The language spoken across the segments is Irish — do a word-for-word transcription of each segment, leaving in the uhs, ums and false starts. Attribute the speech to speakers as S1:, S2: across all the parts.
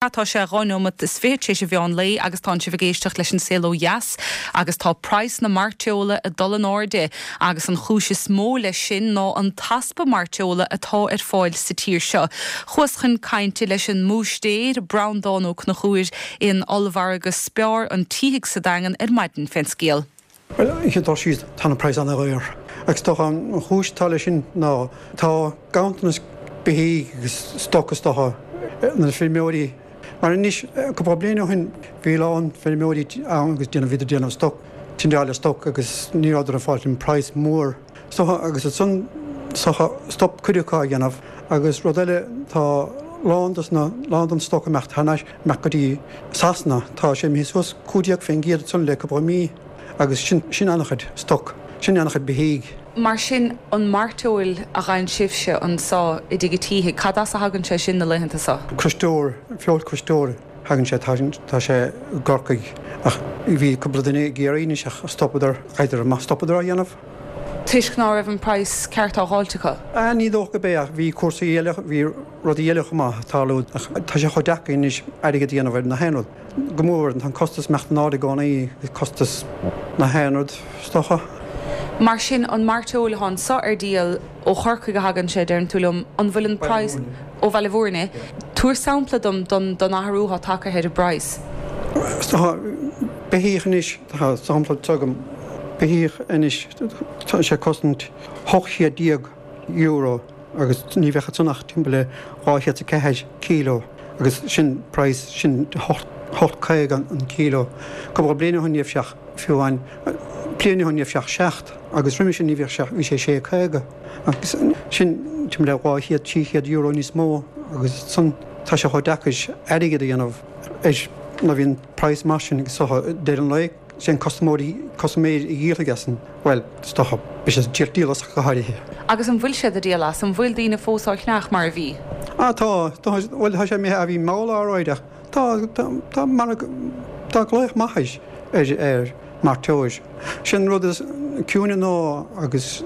S1: Tá sé dhá nóiméad is fiche tar éis an mheán lae agus tá sibh ag éisteacht leis an Saol Ó Dheas agus tá praghas na mairteola ag dul in airde agus an chúis is mó leis sin ná an t-easpa mairteola atá ar fáil sa tír seo. Chuas chun cainte leis an mbúistéir Breandán Ó Conchúir in ollmhargadh Spar an tSíthigh sa Daingean ar maidin fén scéal.
S2: Well dá siad tá an praghas an-dhaor. Agus tá an chúis tá leis sin ná tá ganntanas beithígh agus stoc is dócha na feirmeoirí Mar anois cúpla bliain ó shin bhí lán feirmeoirí ann agus déanamh bhí déanamh stoc tindeáil stoc agus ní raibh ag fáil an praghas mór. So agus ansan stop cuid acu á dhéanamh agus rud eile tá lán na lán den stoc imeacht thar amach go dtí Sasana tá sé imithe suas cúig déag faoin gcéad ansan le cúpla mí agus sin sin an-chuid stoc sin an-chuid beithígh.
S1: Mar sin an mairteoil a ghabhann sibhse anseo i dTigh an tSíthigh, cad as a thagann sé sin na laethanta seo?
S2: Croisteoir feoil croisteoir thagann sé tá sé i gCorcaigh ach bhí cúpla duine ag iarraidh anois ach stopadar idir amach stopadar á dhéanamh.
S1: Toisc ná raibh an praghas ceart á fháilt acu?
S2: Ní dócha go b'é ach bhí cúrsaí eile bhí rudaí eile chomh maith tarlú ach tá sé chomh deacair anois airgead a dhéanamh ar na haon rud. Go mór tá an costas imeacht in airde i gcónaí costas na haon rud is dócha.
S1: Mar sin an mairteoil atá anseo ar díol ó Chorcaigh a thagann sé deireann tú liom an bhfuil an praghas ó Bhaile Bhúirne. Tabhair sampla dom don don athrú atá tagtha ar an bpraghas.
S2: Tá beithíoch anois tá sampla agam beithíoch anois tá sé cosaint ocht chéad déag euro agus ní bheadh san ach timpeall le dhá chéad ceathair kilo agus sin praghas sin hocht caoga an kilo. Cúpla bliain ó shin ní raibh sé fiú amháin bliain ó shin ní raibh sé seacht agus roimhe sin ní bhíodh sé bhí sé sé caoga agus sin timpeall le dhá chéad trí chéad euro níos mó agus san tá sé chomh deacair airgead a dhéanamh ar na bhíonn praghas mar sin agus so deireadh an lae sé an custaiméirí custaiméir a dhíolfaidh as an bhuel is dócha beidh sé díol díol as go háirithe.
S1: Agus an bhfuil siad ag díol as an bhfuil daoine fós á cheannach mar a bhí?
S2: Ah tá tá bhuel tá sé imithe a bhí mall áráideach tá tá tá mar tá glaoch maith ar ar mairteoil. Sin rud is ciúine ná agus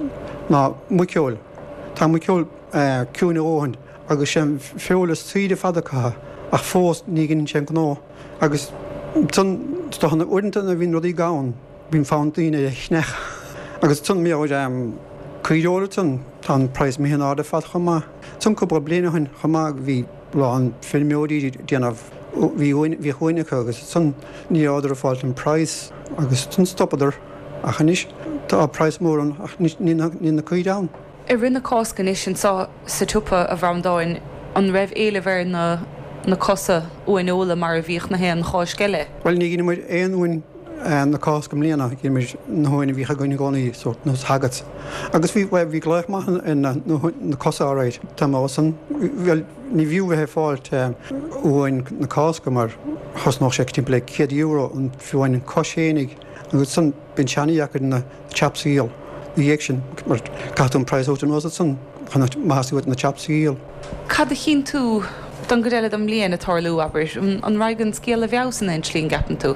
S2: ná muiceoil. Tá muiceoil ciúine óthain agus sin feoil is saoire fada acu ach fós ní ghin sé an gnó agus san uaireanta na bhíonn rudaí gann bíonn fonn daoine a cheannach agus san mé caoireoil san tá an praghas imithe in airde fad chomh maith. San cúpla bliain ó shin chomh maith bhí lán feirmeoirí déanamh bhí bhí uain acu agus san ní rabhadar ag fáilt an praghas agus san stopadar ach anois tá praghas mór ann ach níl na caoirigh ann.
S1: I rith na Cásca anois anseo sa tsiopa a Bhreandáin an raibh éileamh ar na na cosa uaineola mar a bhíodh na haon Cháisc eile.
S2: Well ní ghin muid aon uain na Cásca mbliana ghin muid na huain a bhíodh againn i gcónaí sórt nó agat. Agus bhí bhí glaoch maith na na cosa áráid Tá san well ní bhfiú bheith fáilt uain na Cásca mar chosnódh sé timpeall le céad euro an fiú an cos fhéinig agus san bíonn seana-dheacair na chops a dhíol. Na dhiaidh sin mar caithfidh an praghas anuas san chun maitheas na chops a dhíol.
S1: Cad a chíonn tú don gcuid eile den mbliain ag tarlú abair an raghaidh an scéal i bhfeabhas in aon tslí an gceapann tú?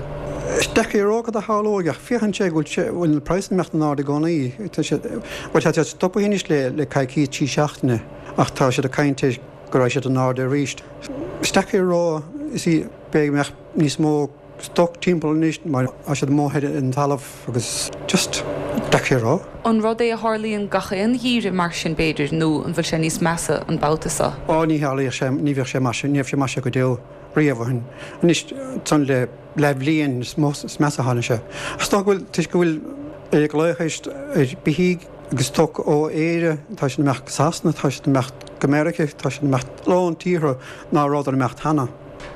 S2: Deacair a rá cad a tharlóidh ach féachann sé go bhfuil bhfuil na praghas imeacht in airde i gcónaí. Tá sé bhuel tá siad stoptha anois le le coicís trí seachtaine ach tá siad ag caint ar go raibh siad in airde arís. Is deacair a rá is í b'fhéidir go mbeadh níos mó stoc timpeall anois mar tá siad amuigh ar an talamh agus just deacair a rá.
S1: An rud é a tharlaíonn gach aon gheimhreadh mar sin b'fhéidir nó an bhfuil sé níos measa an babhta seo?
S2: Á ní tharlaíodh sé ní bheadh sé mar sin ní raibh sé mar sin go deo riamh ó shin. Anois san le leathbhliain is mó is measa tháinig sé. Ach tá go bhfuil toisc go bhfuil ar glaoch ar beithígh agus stoc ó Éire tá siad imeacht go Sasana, tá siad imeacht go Meiriceá, tá siad imeacht lán tíortha ná rabhadar imeacht cheana.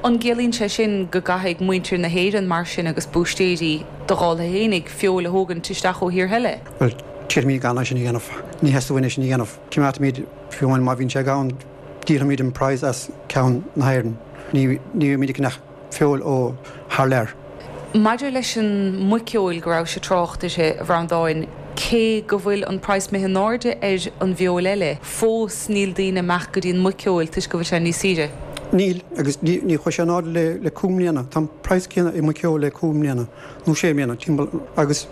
S1: An gciallaíonn sé sin go gcaithfidh muintir na hÉireann mar sin agus búistéirí do dhála fhéinig feoil a thógaint isteach ó thír eile?
S2: Well tíormí gan sin a dhéanamh, ní theastaíonn sin a dhéanamh. Coimeádfaimid fiú amháin má bhíonn sé gann díolfaimid an praghas as ceann na hÉireann. Ní ní bhímid ag ceannach feoil ó thar lear.
S1: Maidir leis an muiceoil go raibh sé trácht uirthi a Bhreandáin, cé go bhfuil an praghas imithe in airde ar an bhfeoil eile, fós níl daoine amach go dtí an muiceoil toisc go bhfuil sé níos saoire.
S2: Níl agus ní ní chuaigh sé in airde le le cúig mbliana. Tá an praghas céanna i muiceoil le cúig mbliana nó sé mbliana timpeall agus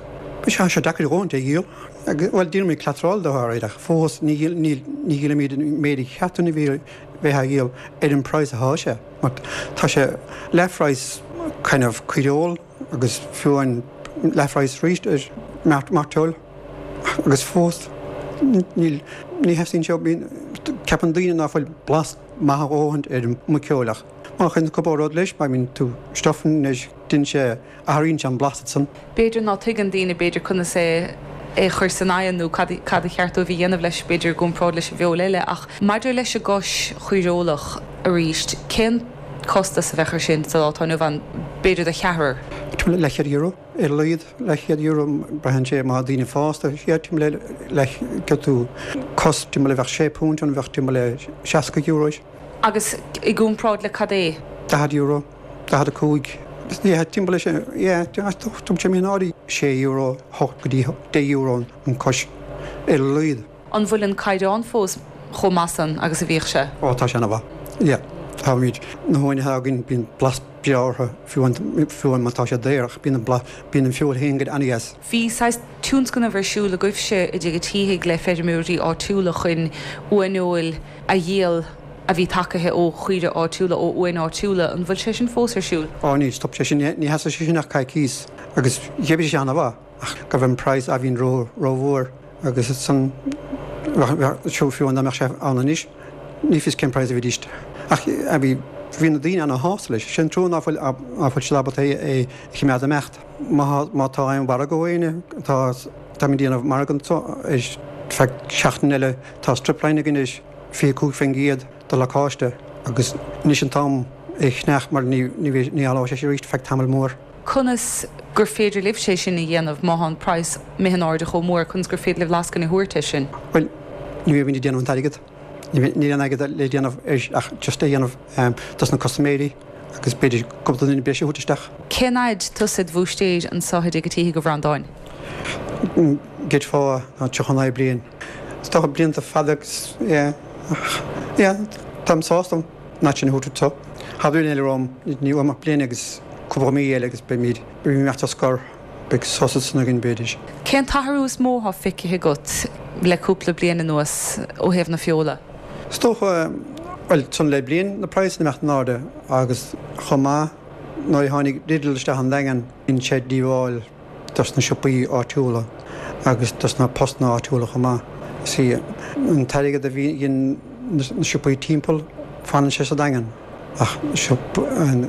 S2: sé sé deacair a dhóthain é a dhíol. Agus bhuel déanaimid cleatráil dó ar ach fós ní ní ní dhíolaimid an méid a cheapann a bhí bheith á dhíol ar an praghas atá sé. Mar tá sé leathphraghas kind of caoireoil agus fiú amháin leathphraghas arís ar mairteoil agus fós níl, ní theastaíonn sé, bíonn, ceapann daoine ná fuil blas maith a dhóthaint ar an muiceoil ach má chuireann tú cúpla rud leis, má bhíonn tú stuffing leis, déanann sé, athraíonn sé an blas ansan.
S1: B'fhéidir ná tuigeann daoine b'fhéidir conas é é chur san oigheann nó cad cad a cheart dóibh a dhéanamh leis b'fhéidir i gcomparáid leis an bhfeoil eile ach maidir leis an gcois chaoireolach arís, cén costas a bheadh ar sin sa lá atá inniu ann, b'fhéidir do cheathrar?
S2: Timpeall le leathchéad euro ar a laghad, leathchéad euro, braitheann sé má tá daoine fásta, yeah, timpeall le leath, gheobhaidh tú cos timpeall le bheadh sé punt ann, bheadh timpeall le seasca euro.
S1: Agus i gcomparáid le cad é?
S2: Daichead euro, daichead a cúig, yeah, timpeall le sin, yeah, tá sé imithe in airde sé euro, hocht go dtí deich euro an cos ar a laghad.
S1: An bhfuil an caighdeán fós chomh maith san agus a bhíodh sé?
S2: Ó tá sé ana-mhaith, yeah. Táimid, na huain atá againn, bíonn blas breá orthu, fiú amháin má tá sé daor, ach bíonn an blas, bíonn an feoil féin go an-dheas.
S1: Bhí saghas tionscnamh ar siúl agaibhse i dTigh an tSíthigh le feirmeoirí áitiúla chun uaineoil a dhíol a bhí tacaithe ó chaoire áitiúla, ó uain áitiúla. An bhfuil sé sin fós ar siúl?
S2: Ó níl, stop sé sin, ní sheasadh sé sin ach coicís agus d'oibrigh sé ana-mhaith ach go raibh an praghas a bhíonn ró, rómhór agus san, fiú amháin dá mbeadh sé ann anois, ní fios cén praghas a bhídís ach bhí, bhí na daoine ana-shásta leis. Sin trua ná fuil, ná fuil siad ábalta é, é a choimeád ag imeacht. Má, má tá aon mhargadh ó éinne, tá, táimid ag déanamh margadh anso ar feadh seachtain eile, tá stripline againn anois. fiche cúig faoin gcéad de lacáiste agus anois an t-am é a cheannach mar ní ní éalóidh sé arís feadh tamall mór.
S1: Conas gur féidir libhse é sin a dhéanamh má tá an praghas imithe in airde chomh mór, conas gur féidir libh lascaine a thabhairt air sin?
S2: Bhuel, ní bhímid ag déanamh an t-airgead. Níl aon airgead le déanamh air ach just é a dhéanamh dos na custaiméirí agus b'fhéidir cúpla duine breise a thabhairt isteach.
S1: Cén fhaid tusa id bhúistéir anso i dTigh an tSíthigh a Bhreandáin?
S2: D'fhéadfá ná tríocha naoi bliain. Is dócha blianta fada agus yeah ach yeah táim sásta an áit sin a thabhairt anseo. Tá bliain eile romham, ní uaim ach bliain agus cúpla mí eile agus beimid, beimid imeacht ar scor, beidh sos ansan againn b'fhéidir.
S1: Cén t-athrú is mó atá feicthe agat le cúpla bliain anuas ó thaobh na feola?
S2: Is dócha, bhuel, san le bliain na praghsanna imeacht in airde agus chomh maith nuair a tháinig Lidl isteach an Daingean, dhein sé díobháil. dos na siopaí áitiúla agus dos na postanna áitiúla chomh maith. See, an t-airgead a bhíonn na siopaí timpeall, fanann sé sa Daingean. Ach siopa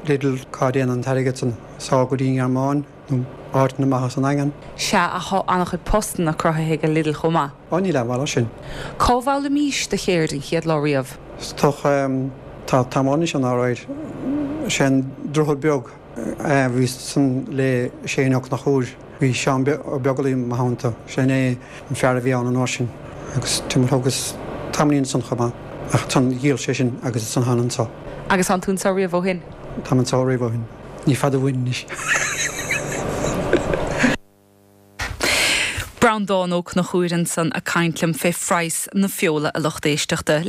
S2: Lidl, cá dtéann an t-airgead san? Sall go dtí an Ghearmáin nó áiteanna amach as an Daingean.
S1: Sea, ach tá an-chuid postanna cruthaithe ag Lidl chomh maith.
S2: Ó, níl aon mhaith leis sin.
S1: Cá bhfoghlaimís do cheird an chéad lá riamh?
S2: Is dócha, tá tamall anois ann alright. Sé an Droichead Beag. Bhí san le Shane Ó Conchúir. Bhí Seán Ó Beaglaoich i mo theannta. Sin é an fear a bhí ann an uair sin. Agus timpeall thugas tamaillín ansan chomh maith. Ach ansan dhíol sé sin agus ansan thána anso.
S1: Agus tánn tú anso riamh ó shin?
S2: Táim anso riamh ó shin. Ní fada uainn anois.
S1: Breandán Ó Conchúir ansan ag caint liom fé phraghas na feola a lucht éisteachta.